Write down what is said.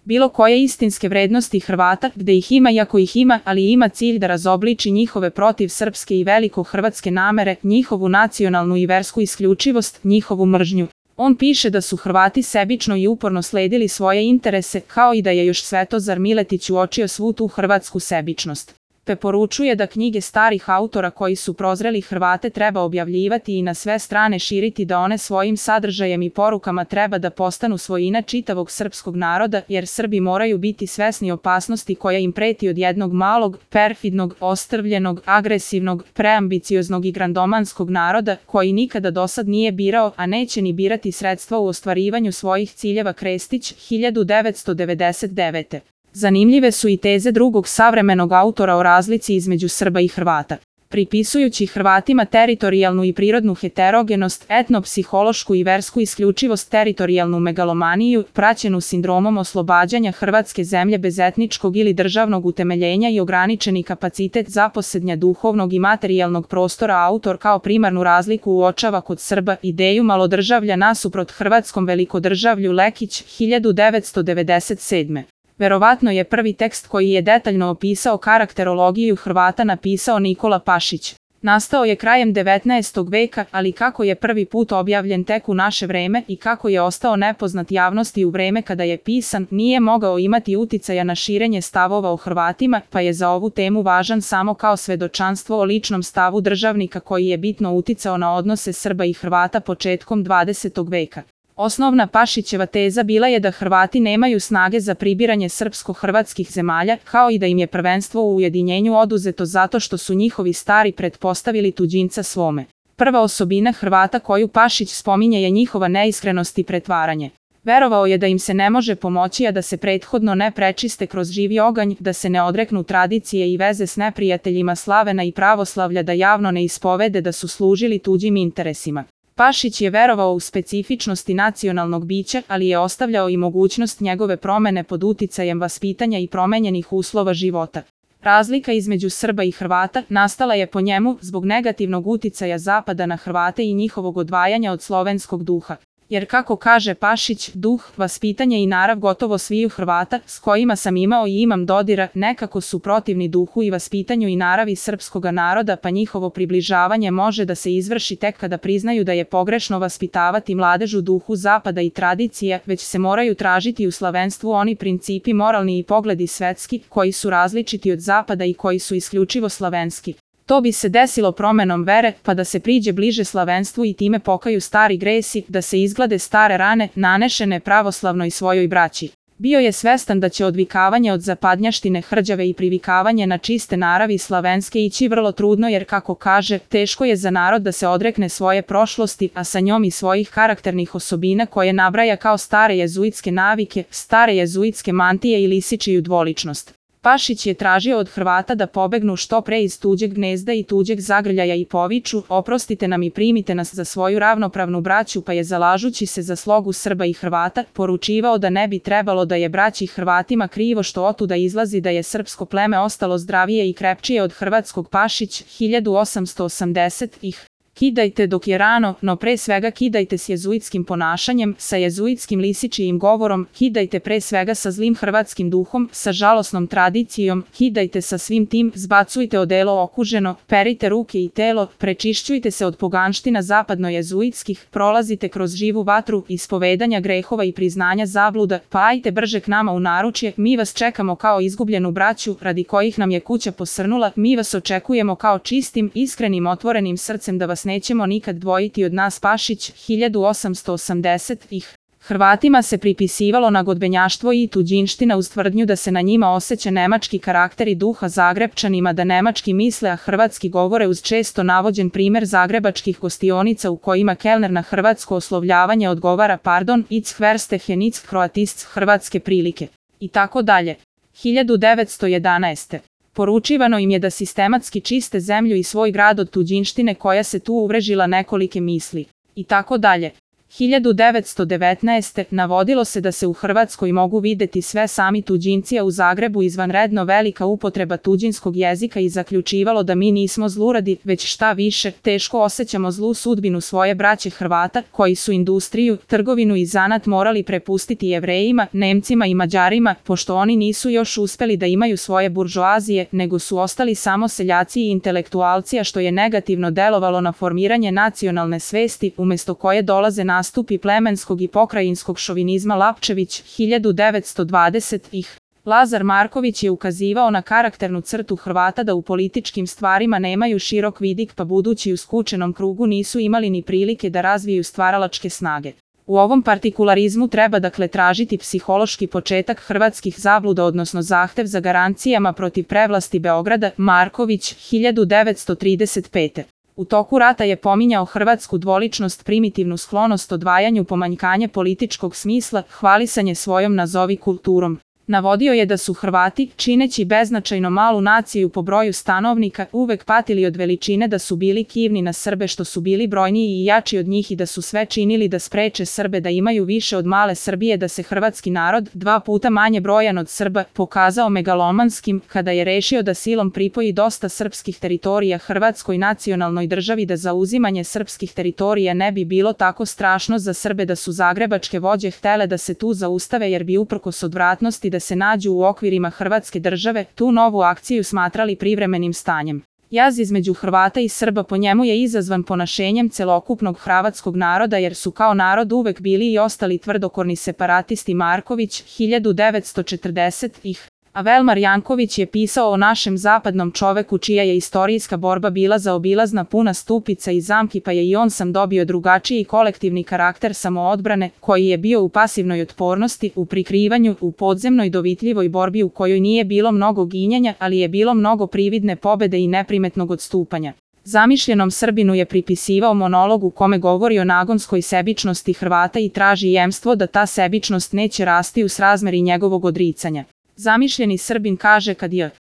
bilo koje istinske vrednosti Hrvata, gde ih ima iako ih ima, ali ima cilj da razobliči njihove protiv srpske i veliko hrvatske namere, njihovu nacionalnu i versku isključivost, njihovu mržnju. On piše da su Hrvati sebično i uporno sledili svoje interese, kao i da je još Svetozar Miletić uočio svu tu hrvatsku sebičnost. Preporučuje da knjige starih autora koji su prozreli Hrvate treba objavljivati i na sve strane širiti, da one svojim sadržajem i porukama treba da postanu svojina čitavog srpskog naroda, jer Srbi moraju biti svesni opasnosti koja im preti od jednog malog, perfidnog, ostrvljenog, agresivnog, preambicioznog i grandomanskog naroda, koji nikada dosad nije birao, a neće ni birati sredstva u ostvarivanju svojih ciljeva. Krestić, 1999. Zanimljive su i teze drugog savremenog autora o razlici između Srba i Hrvata. Pripisujući Hrvatima teritorijalnu i prirodnu heterogenost, etnopsihološku i versku isključivost, teritorijalnu megalomaniju, praćenu sindromom oslobađanja Hrvatske zemlje bez etničkog ili državnog utemeljenja i ograničeni kapacitet zaposednja duhovnog i materijalnog prostora, autor kao primarnu razliku uočava kod Srba ideju malodržavlja nasuprot hrvatskom velikodržavlju. Lekić, 1997. Verovatno je prvi tekst koji je detaljno opisao karakterologiju Hrvata napisao Nikola Pašić. Nastao je krajem 19. veka, ali kako je prvi put objavljen tek u naše vreme i kako je ostao nepoznat javnosti u vreme kada je pisan, nije mogao imati uticaja na širenje stavova o Hrvatima, pa je za ovu temu važan samo kao svedočanstvo o ličnom stavu državnika koji je bitno uticao na odnose Srba i Hrvata početkom 20. veka. Osnovna Pašićeva teza bila je da Hrvati nemaju snage za pribiranje srpsko-hrvatskih zemalja, kao i da im je prvenstvo u ujedinjenju oduzeto zato što su njihovi stari pretpostavili tuđinca svome. Prva osobina Hrvata koju Pašić spominje je njihova neiskrenost i pretvaranje. Verovao je da im se ne može pomoći, a da se prethodno ne prečiste kroz živi oganj, da se ne odreknu tradicije i veze s neprijateljima slavena i pravoslavlja, da javno ne ispovede da su služili tuđim interesima. Pašić je verovao u specifičnosti nacionalnog bića, ali je ostavljao i mogućnost njegove promene pod uticajem vaspitanja i promenjenih uslova života. Razlika između Srba i Hrvata nastala je po njemu zbog negativnog uticaja Zapada na Hrvate i njihovog odvajanja od slovenskog duha. Jer kako kaže Pašić, duh, vaspitanje i narav gotovo sviju Hrvata, s kojima sam imao i imam dodira, nekako su protivni duhu i vaspitanju i naravi srpskoga naroda, pa njihovo približavanje može da se izvrši tek kada priznaju da je pogrešno vaspitavati mladež u duhu Zapada i tradicija, već se moraju tražiti u slavenstvu oni principi moralni i pogledi svetski, koji su različiti od Zapada i koji su isključivo slavenski. To bi se desilo promenom vere, pa da se priđe bliže slavenstvu i time pokaju stari gresi, da se izglade stare rane, nanešene pravoslavnoj svojoj braći. Bio je svestan da će odvikavanje od zapadnjaštine hrđave i privikavanje na čiste naravi slavenske ići vrlo trudno, jer kako kaže, teško je za narod da se odrekne svoje prošlosti, a sa njom i svojih karakternih osobina koje nabraja kao stare jezuitske navike, stare jezuitske mantije i lisičiju dvoličnost. Pašić je tražio od Hrvata da pobegnu što pre iz tuđeg gnezda i tuđeg zagrljaja i poviču, oprostite nam i primite nas za svoju ravnopravnu braću, pa je zalažući se za slogu Srba i Hrvata, poručivao da ne bi trebalo da je braći Hrvatima krivo što otuda izlazi da je srpsko pleme ostalo zdravije i krepčije od hrvatskog. Pašić, 1880. Kidajte dok je rano, no pre svega kidajte s jezuitskim ponašanjem, sa jezuitskim lisičijim govorom, kidajte pre svega sa zlim hrvatskim duhom, sa žalosnom tradicijom, kidajte sa svim tim, zbacujte odelo okuženo, perite ruke i telo, prečišćujte se od poganština zapadno-jezuitskih, prolazite kroz živu vatru, ispovedanja grehova i priznanja zabluda, pa ajte brže k nama u naručje, mi vas čekamo kao izgubljenu braću, radi kojih nam je kuća posrnula, mi vas očekujemo kao čistim, iskrenim, otvorenim srcem, da vas nećemo nikad dvojiti od nas. Pašić, 1880. Hrvatima se pripisivalo nagodbenjaštvo i tuđinština uz tvrdnju da se na njima osjeća nemački karakter i duha, Zagrepčanima da nemački misle a hrvatski govore, uz često navođen primer zagrebačkih gostionica u kojima kelner na hrvatsko oslovljavanje odgovara pardon, ich verstehen ich Kroatists, hrvatske prilike. I tako dalje. 1911. Poručivano im je da sistematski čiste zemlju i svoj grad od tuđinštine koja se tu uvrežila nekolike misli. I tako dalje. 1919. navodilo se da se u Hrvatskoj mogu videti sve sami tuđinci, a u Zagrebu izvanredno velika upotreba tuđinskog jezika i zaključivalo da mi nismo zluradi, već šta više, teško osjećamo zlu sudbinu svoje braće Hrvata, koji su industriju, trgovinu i zanat morali prepustiti Jevrejima, Nemcima i Mađarima, pošto oni nisu još uspeli da imaju svoje buržoazije, nego su ostali samo seljaci i intelektualci, a što je negativno delovalo na formiranje nacionalne svesti, umesto koje dolaze nastupi plemenskog i pokrajinskog šovinizma. Lapčević, 1920-ih. Lazar Marković je ukazivao na karakternu crtu Hrvata da u političkim stvarima nemaju širok vidik, pa budući u skučenom krugu nisu imali ni prilike da razviju stvaralačke snage. U ovom partikularizmu treba dakle tražiti psihološki početak hrvatskih zabluda, odnosno zahtev za garancijama protiv prevlasti Beograda. Marković, 1935. U toku rata je pominjao hrvatsku dvoličnost, primitivnu sklonost odvajanju, pomanjkanje političkog smisla, hvalisanje svojom nazovi kulturom. Navodio je da su Hrvati, čineći beznačajno malu naciju po broju stanovnika, uvek patili od veličine, da su bili kivni na Srbe što su bili brojniji i jači od njih i da su sve činili da spreče Srbe da imaju više od male Srbije, da se hrvatski narod, 2 puta manje brojan od Srba, pokazao megalomanskim kada je rešio da silom pripoji dosta srpskih teritorija Hrvatskoj nacionalnoj državi, da zauzimanje srpskih teritorija ne bi bilo tako strašno za Srbe, da su zagrebačke vođe htele da se tu zaustave jer bi uprkos odvratnosti da se nađu u okvirima Hrvatske države, tu novu akciju smatrali privremenim stanjem. Jaz između Hrvata i Srba po njemu je izazvan ponašenjem celokupnog hrvatskog naroda, jer su kao narod uvek bili i ostali tvrdokorni separatisti. Marković, 1940-ih. A Velmar Janković je pisao o našem zapadnom čoveku čija je istorijska borba bila zaobilazna, puna stupica i zamki, pa je i on sam dobio drugačiji kolektivni karakter samoodbrane, koji je bio u pasivnoj otpornosti, u prikrivanju, u podzemnoj dovitljivoj borbi u kojoj nije bilo mnogo ginjanja, ali je bilo mnogo prividne pobede i neprimetnog odstupanja. Zamišljenom Srbinu je pripisivao monolog u kome govori o nagonskoj sebičnosti Hrvata i traži jemstvo da ta sebičnost neće rasti u srazmeri njegovog odricanja. Zamišljeni Srbin kaže kad je